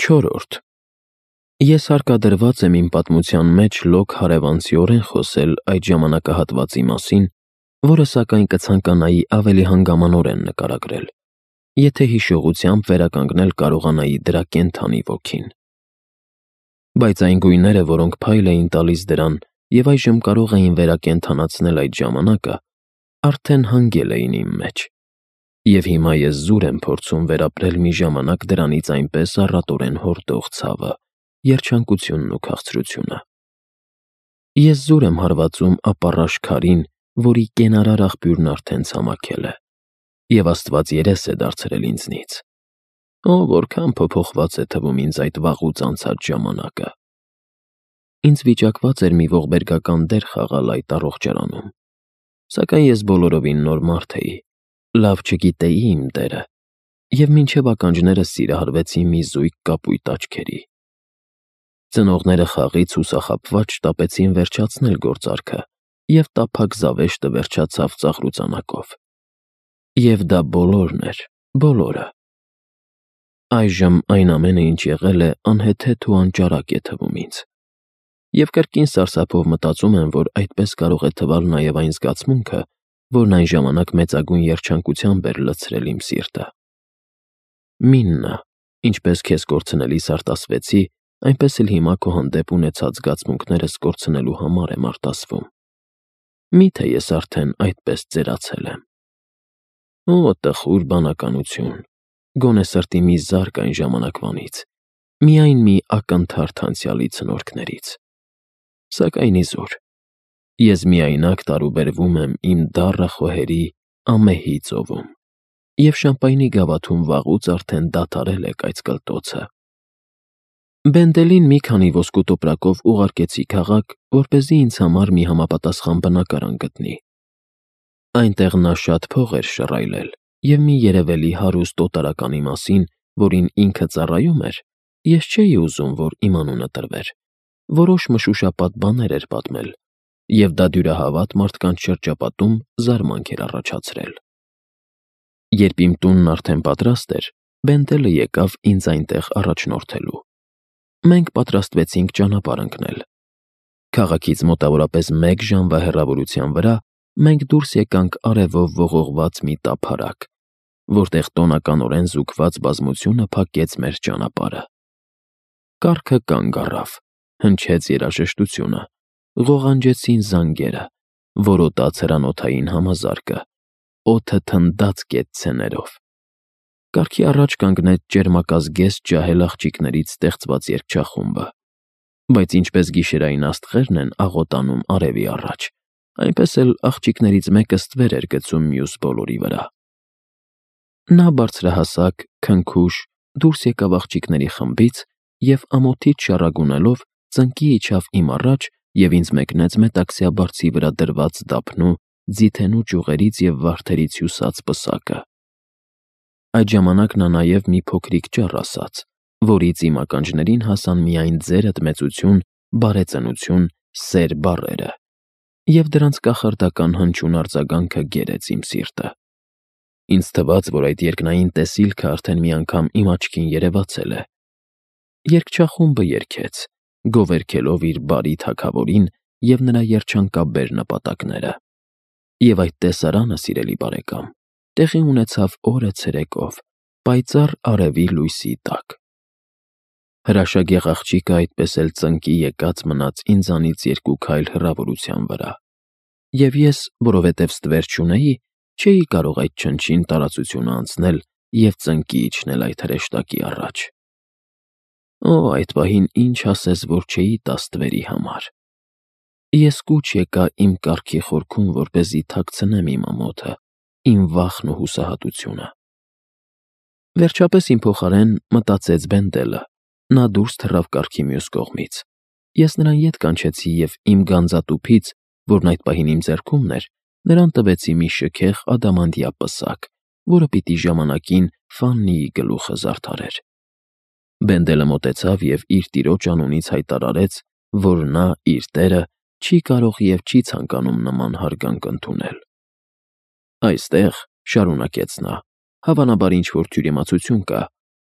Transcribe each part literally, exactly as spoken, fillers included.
Չորրորդ. Ես հարկադրված եմ իմ պատմության մեջ լոկ հարևանցիորեն խոսել այդ ժամանակահատվածի մասին, որը սակայն կցանկանայի ավելի հանգամանորեն նկարագրել, եթե հիշողությամբ վերականգնել կարողանայի դրա կենդանի ոգին։ Բայց այն գույները, որոնք փայլ էին տալիս դրան և այժմ կարող էին վերակենդանացնել այդ ժամանակը, արդեն հանգել էին իմ մեջ, և հիմա ես զուր եմ փորձում վերապրել մի ժամանակ դրանից այնպես առատորեն հորդող ցավը, երջանկությունն ու քաղցրությունը։ Ես զուր եմ հարվածում ապառաշ քարին, որի կենարար աղբյուրն արդեն ցամաքել է, և Աստված երես է դարձրել ինձնից։ Օ, որքան փոփոխված է թվում ինձ այդ վաղուց անցած ժամանակը։ Ինձ վիճակված էր մի ողբերգական դեր խաղալ այդ առողջարանում, սակայն ես բոլորովին նոր մարդ էի, լավ չգիտեի իմ դերը, և մինչև ականջներս սիրահարվեցի մի զույգ կապույտ աչքերի։ Ծնողները խաղից հուսախաբված շտապեցին վերջացնել գործարքը, և տափակ զավեշտը վերջացավ ծաղրուծանակով։ Եվ դա բոլորն էր, բոլորը։ Այժմ այն ամենը, ինչ եղել է, անհեթեթ ու անճարակ է թվում ինձ, և կրկին սարսափով մտածում եմ, որ այդպես կարող է թվալ նաև այն զգացմունքը, որն այն ժամանակ մեծագույն երջանկությամբ էր լցրել իմ սիրտը։ Միննա, ինչպես քեզ կորցնելիս արտասվեցի, այնպես էլ հիմա քո հանդեպ ունեցած զգացմունքներս կորցնելու համար եմ արտասվում։ Մի՞թե ես արդեն այդպես ծերացել եմ։ Օ, տխուր բանականություն, գոնե սրտի մի զարկ այն ժամանակվանից, միայն մի ակնթարթ անցյալի ցնորքներից։ Սակայն իզուր, ես միայնակ տարուբերվում եմ իմ դառը խոհերի ամեհի ծովում, և շամպայնի գավաթում վաղուց արդեն դադարել է կայծկլտոցը։ Բենդելին մի քանի ոսկու տոպրակով ուղարկեցի քաղաք, որպեսզի ինձ համար մի համապատասխան բնակարան գտնի։ Այնտեղ նա շատ փող էր շռայլել, և մի երևելի հարուստ օտարականի մասին, որին ինքը ծառայում էր, ես չէի ուզում, որ իմ անունը տրվեր, որոշ մշուշապատ բաներ էր պատմել, և դա դյուրահավատ մարդկանց շրջապատում զարմանք էր առաջացրել։ Երբ իմ տունն արդեն պատրաստ էր, Բենդելը եկավ ինձ այնտեղ առաջնորդելու։ Մենք պատրաստվեցինք ճանապարհ ընկնել։ Քաղաքից մոտավորապես մեկ ժամվա հեռավորության վրա մենք դուրս եկանք արևով ողողված մի տափարակ, որտեղ տոնականորեն զուգված բազմությունը փակեց մեր ճանապարհը։ Կառքը կանգ առավ, հնչեց երաժշտությունը, ղողանջեցին զանգերը, որոտաց հրանոթային համազարկը, օդը թնդաց կետցեներով։ Կառքի առաջ կանգնեց ճերմակազգեստ ջահել աղջիկներից ստեղծված երգչախումբը, բայց ինչպես գիշերային աստղերն են աղոտանում արևի առաջ, այնպես էլ աղջիկներից մեկը ստվեր էր գցում մյուս բոլորի վրա։ Նա բարձրահասակ, քնքուշ, դուրս եկավ աղջիկների խմբից և ամոթից շառագունելով ծնկի իջավ իմ առաջ և ինձ մեկնեց մետաքսյա բարձի վրա դրված դափնու, ձիթենու ճյուղերից և վարդերից հյուսած պսակը։ Այդ ժամանակ նա նաև մի փոքրիկ ճառ ասաց, որից իմ ականջներին հասան միայն «ձերդ մեծություն», «բարեծնություն», «սեր» բառերը, և դրանց կախարդական հնչյուն արձագանքը գերեց իմ սիրտը։ Ինձ թվաց, որ այդ երկնային տեսիլքը արդեն մի անգամ իմ աչքին երևացել է։ Երգչախումբը երգեց, գովերգելով իր բարի թագավորին և նրա երջանկաբեր նպատակները։ Եվ այդ տեսարանը, սիրելի բարեկամ, տեղի ունեցավ օրը ցերեկով, պայծառ արևի լույսի տակ։ Հրաշագեղ աղջիկը այդպես էլ ծնկի եկած մնաց ինձանից երկու քայլ հեռավորության վրա, և ես, որովհետև ստվեր չունեի, չէի կարող այդ չնչին տարածությունը անցնել և ծնկի իջնել այդ հրեշտակի առաջ։ Օ, այդ պահին ինչ ասես, որ չէի տա ստվերի համար։ Ես կուչ եկա իմ կառքի խորքում, որպեսզի թաքցնեմ իմ ամոթը, իմ վախն ու հուսահատությունը։ Վերջապես իմ փոխարեն մտածեց Բենդելը, նա դուրս թռավ կառքի մյուս կողմից։ Ես նրան ետ կանչեցի և իմ գանձատուփից, որն այդ պահին իմ ձեռքումն էր, նրան տվեցի մի շքեղ ադամանդյա պսակ, որը պիտի ժամանակին Ֆաննիի գլուխը զարդարեր։ Բենդելը մոտեցավ և իր տիրոջ անունից հայտարարեց, որ նա, իր տերը, չի կարող և չի ցանկանում նման հարգանք ընդունել։ «Այստեղ, ֊ շարունակեց նա, ֊ հավանաբար ինչ֊որ թյուրիմացություն կա,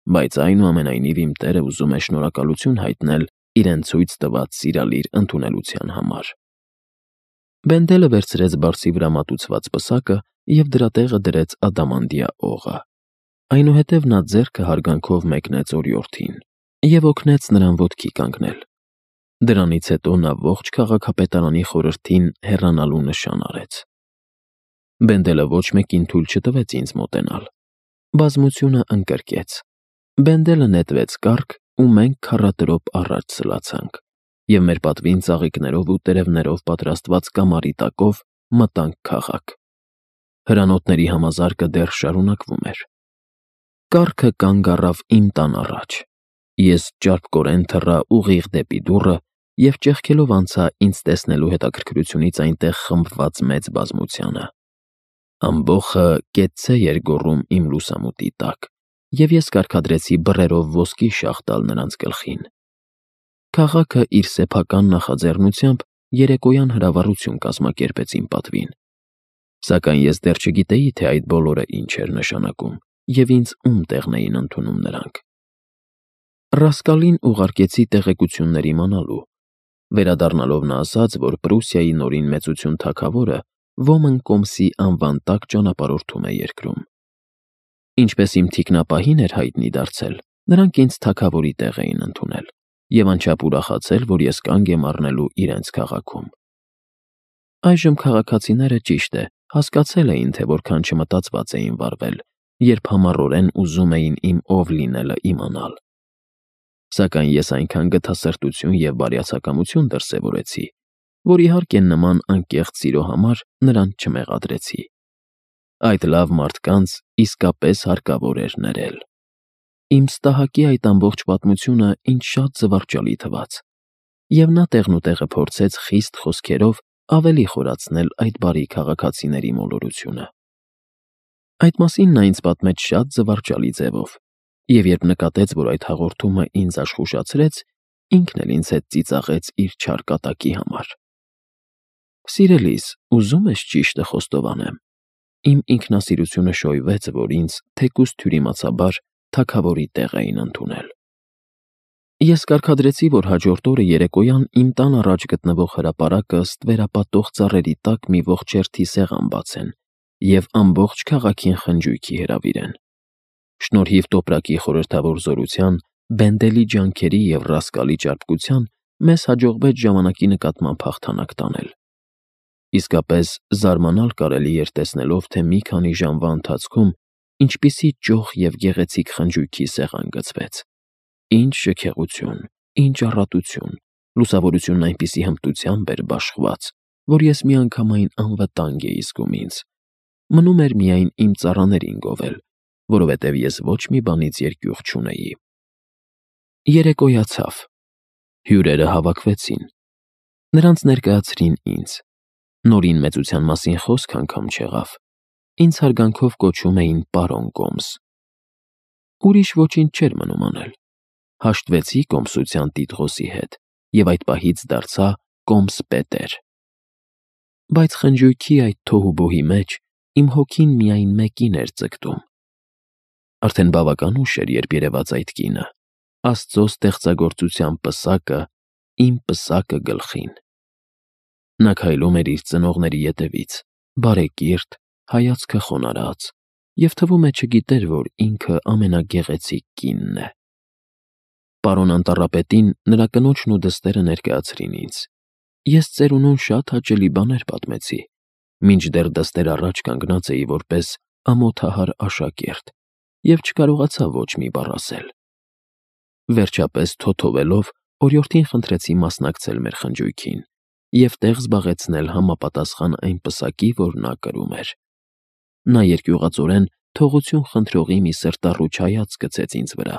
բայց այնուամենայնիվ իմ տերը ուզում է շնորհակալություն հայտնել իրեն ցույց տված սիրալիր ընդունելության համար։ Բենդելը վերցրեց բարձի վրա մատուցված պսակը և դրա տեղը դրեց ադամանդյա օղը։ Այնուհետև նա ձեռքը հարգանքով մեկնեց օրիորդին և օգնեց նրան ոտքի կանգնել։ Դրանից հետո նա ողջ քաղաքապետարանի խորհրդին հեռանալու նշան արեց։ Բենդելը ոչ մեկին թույլ չտվեց ինձ մոտենալ։ Բազմությունը ընկրկեց։ Բենդելը նետվեց կառք, ու մենք քառատրոպ առաջ սլացանք, և մեր պատվին ծաղիկներով ու տերևներով պատրաստված կամարի տակով մտանք քաղաք։ Հրանոթների համազարկը դեռ շարունակվում էր։ Կառքը կանգ առավ իմ տան առաջ։ Ես ճարպկորեն թռա ուղիղ դեպի դուռը և ճեղքելով անցա ինձ տեսնելու հետաքրքրությունից այնտեղ խմբված մեծ բազմությանը։ Ամբոխը կեցցե էր գոռում իմ լուսամուտի տակ, և ես կարգադրեցի բռերով ոսկի շաղ տալ նրանց գլխին։ Քաղաքը իր սեփական նախաձեռնությամբ երեկոյան հրավառություն կազմակերպեց իմ պատվին։ Սակայն ես դեռ չգիտեի, թե այդ բոլորը ինչ էր նշանակում և ինձ ում տեղն էին ընդունում նրանք։ Ռասկալին ուղարկեցի տեղեկություններ իմանալու։ Վերադառնալով նա ասաց, որ Պրուսիայի նորին մեծություն թագավորը Ոմն կոմսի անվան տակ ճանապարհորդում է երկրում։ Ինչպես իմ թիկնապահին էր հայտնի դարձել, նրանք ինձ թագավորի տեղ էին ընդունել և անչափ ուրախացել, որ ես կանգ եմ առնելու իրենց քաղաքում։ Այժմ քաղաքացիները, ճիշտ է, հասկացել էին, թե որքան չմտածված էին վարվել, երբ համառորեն ուզում էին իմ ով լինելը իմանալ։ Սակայն ես այնքան գթասրտություն և բարյացակամություն դրսևորեցի, որ իհարկե նման անկեղծ սիրո համար նրանց չմեղադրեցի։ Այդ լավ մարդկանց իսկապես հարկավոր էր ներել։ Իմ ստահակի այդ ամբողջ պատմությունը ինձ շատ զվարճալի թվաց, և նա տեղնուտեղը փորձեց խիստ խոսքերով ավելի խորացնել այդ բարի քաղաքացիների մոլորությունը։ Այդ մասին նա ինձ պատմեց շատ զվարճալի ձևով, և երբ նկատեց, որ այդ հաղորդումը ինձ աշխուժացրեց, ինքն էլ ինձ հետ ծիծաղեց իր չար կատակի համար։ Սիրելիս, ուզում ես ճիշտը խոստովանեմ։ Իմ ինքնասիրությունը շոյվեց, որ ինձ, թեկուզ թյուրիմացաբար, թագավորի տեղ էին ընդունել։ Ես կարգադրեցի, որ հաջորդ օրը երեկոյան իմ տան առաջ գտնվող հրապարակը ստվերապատող ծառերի տակ մի ողջ հերթի սեղան բացեն և ամբողջ քաղաքին խնջույքի հրավիրեն։ Շնորհիվ տոպրակի խորհրդավոր զորության, Բենդելի ջանքերի և Ռասկալի ճարպկության մեզ հաջողվեց ժամանակի նկատմամբ հաղթանակ տանել։ Իսկապես զարմանալ կարելի էր տեսնելով, թե մի քանի ժամվա ընթացքում ինչպիսի ճոխ և գեղեցիկ խնջույքի սեղան գծվեց։ Ինչ շքեղություն, ինչ առատություն, լուսավորությունն այնպիսի հմտությամբ էր բաշխված, որ ես միանգամայն անվտանգ էի զգում ինձ։ Մնում էր միայն իմ ծառաներին գովել, որովհետև ես ոչ մի բանից երկյուղ չունեի։ Երեկոյացավ։ Հյուրերը հավաքվեցին։ Նրանց ներկայացրին ինձ։ Նորին մեծության մասին խոսք անգամ չեղավ։ Ինձ հարգանքով կոչում էին պարոն Կոմս։ Ուրիշ ոչինչ չէր մնում անել։ Հաշտվեցի կոմսության տիտղոսի հետ և այդ պահից դարձա կոմս պետեր։ Բայց խնջույքի այդ թոհուբոհի մեջ իմ հոգին միայն մեկին էր ձգտում։ Արդեն բավական ուշ էր, երբ երևաց այդ կինը, Աստծո ստեղծագործության պսակը, իմ պսակը գլխին։ Նա քայլում էր իր ծնողների ետևից, բարեկիրթ, հայացքը խոնարհած, և թվում է չգիտեր, որ ինքը ամենագեղեցիկ կինն է։ Պարոն անտառապետին նրա կնոջն ու դստերը ներկայացրին ինձ։ Ես ծերունուն շատ հաճելի բաներ պատմեցի, մինչդեռ դստեր առաջ կանգնած էի որպես ամոթահար աշակերտ և չկարողացա ոչ մի բառ ասել։ Վերջապես թոթովելով օրիորդին խնդրեցի մասնակցել մեր խնջույքին և տեղ զբաղեցնել համապատասխան այն պսակի, որ նա կրում էր։ Նա երկյուղածորեն թողություն խնդրողի մի սրտառուչ հայացք գցեց ինձ վրա,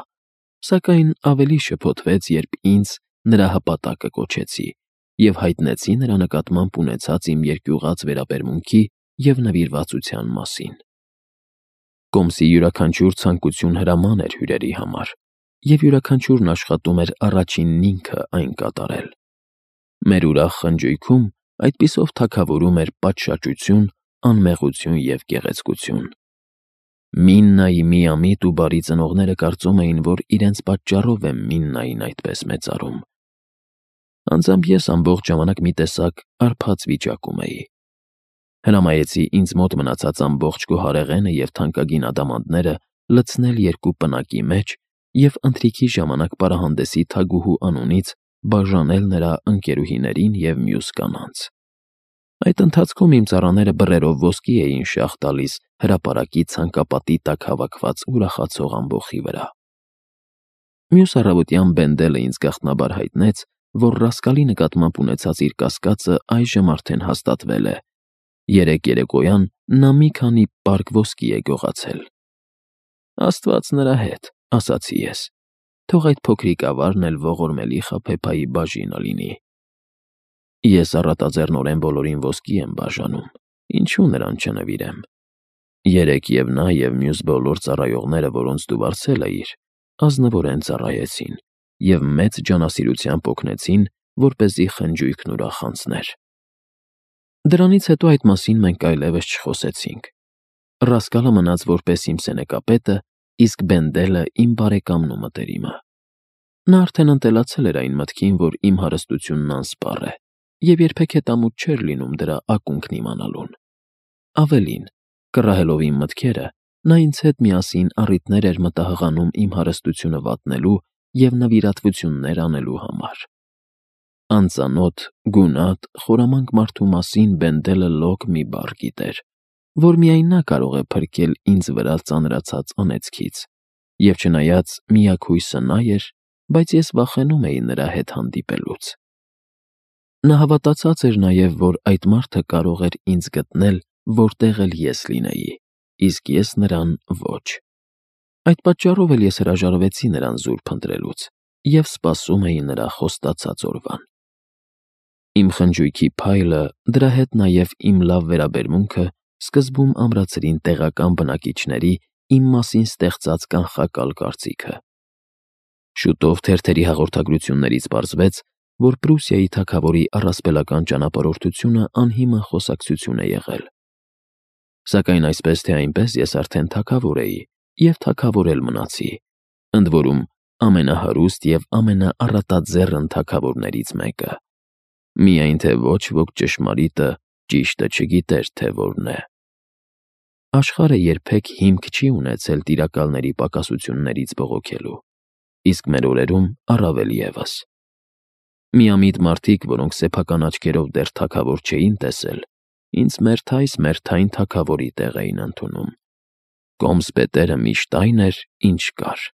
սակայն ավելի շփոթվեց, երբ ինձ նրա հպատակը կոչեցի և հայտնեցի նրա նկատմամբ ունեցած իմ երկյուղած վերաբերմունքի և նվիրվածության մասին։ Կոմսի յուրաքանչյուր ցանկություն հրաման էր հյուրերի համար, և յուրաքանչյուրն աշխատում էր առաջինն ինքը այն կատարել։ Մեր ուրախ խնջույքում այդպիսով թագավորում էր պատշաճություն, անմեղություն և գեղեցկություն։ Միննայի միամիտ ու բարի ծնողները կարծում էին, որ իրենց պատճառով է Միննային այդպես մեծարում։ Անձամբ ես ամբողջ ժամանակ մի տեսակ արբած վիճակում էի։ Հրամայեցի ինձ մոտ մնացած ամբողջ գոհարեղենը և թանկագին ադամանդները լցնել երկու պնակի մեջ և ընթրիքի ժամանակ պարահանդեսի թագուհու անունից բաժանել նրա ընկերուհիներին և մյուս կանանց։ Այդ ընթացքում իմ ծառաները բռերով ոսկի էին շաղ տալիս հրապարակի ցանկապատի տակ հավաքված ուրախացող ամբոխի վրա։ Մյուս առավոտյան Բենդելը ինձ գաղտնաբար հայտնեց, որ Ռասկալի նկատմամբ ունեցած իր կասկածը այժմ արդեն հաստատվել է։ Երեկ երեկոյան նա մի քանի պարկ ոսկի է գողացել։ «Աստված նրա հետ», ասացի ես, «թող այդ փոքրիկ ավարն էլ ողորմելի խաբեբայի բաժինը լինի»։ Ես առատաձեռնորեն բոլորին ոսկի եմ բաժանում, ինչու նրան չնվիրեմ։ Երեկ և նա, և մյուս բոլոր ծառայողները, որոնց դու վարձել էիր, ազնվորեն ծառայեցին և մեծ ջանասիրությամբ օգնեցին, որպեսզի խնջույքն ուրախ անցներ։ Դրանից հետո այդ մասին մենք այլևս չխոսեցինք։ Ռասկալը մնաց որպես իմ սենեկապետը, իսկ Բենդելը իմ բարեկամն ու մտերիմը։ Նա արդեն ընտելացել էր այն մտքին, որ իմ հարստությունն անսպառ է, և երբեք հետամուտ չէր լինում դրա ակունքն իմանալուն։ Ավելին, կռահելով իմ մտքերը, նա ինձ հետ միասին առիթներ էր մտահղանում իմ հարստությունը վատնելու և նվիրատվություններ անելու համար։ Անծանոթ, գունատ, խորամանկ մարդու մասին Բենդելը լոկ մի բառ գիտեր, որ միայն նա կարող է փրկել ինձ վրա ծանրացած անեծքից, և չնայած միակ հույսը նա էր, բայց ես վախենում էի նրա հետ հանդիպելուց։ Նա հավատացած էր նաև, որ այդ մարդը կարող էր ինձ գտնել, որտեղ էլ ես լինեի, իսկ ես նրան՝ ոչ։ Այդ պատճառով էլ ես հրաժարվեցի նրան զուր փնտրելուց և սպասում էի նրա խոստացած օրվան։ Իմ խնջույքի փայլը, դրա հետ նաև իմ լավ վերաբերմունքը սկզբում ամրացրին տեղական բնակիչների իմ մասին ստեղծած կանխակալ կարծիքը։ Շուտով թերթերի հաղորդագրություններից պարզվեց, որ Պրուսիայի թագավորի առասպելական ճանապարհորդությունը անհիմն խոսակցություն է եղել։ Սակայն այսպես թե այնպես ես արդեն թագավոր էի և թագավոր էլ մնացի, ընդ որում ամենահարուստ և ամենաառատաձեռն թագավորներից մեկը։ Միայն թե ոչ ոք ճշմարիտը ճիշտը չգիտեր, թե որն է։ Աշխարհը երբեք հիմք չի ունեցել տիրակալների պակասություններից բողոքելու, իսկ մեր օրերում առավել ևս։ Միամիտ մարդիկ, որոնք սեփական աչքերով դեռ թագավոր չէին տեսել, ինձ մերթ այս մերթային թագավորի տեղ էին ընդունում։ Կոմս պետերը միշտ այն էր, ինչ կար։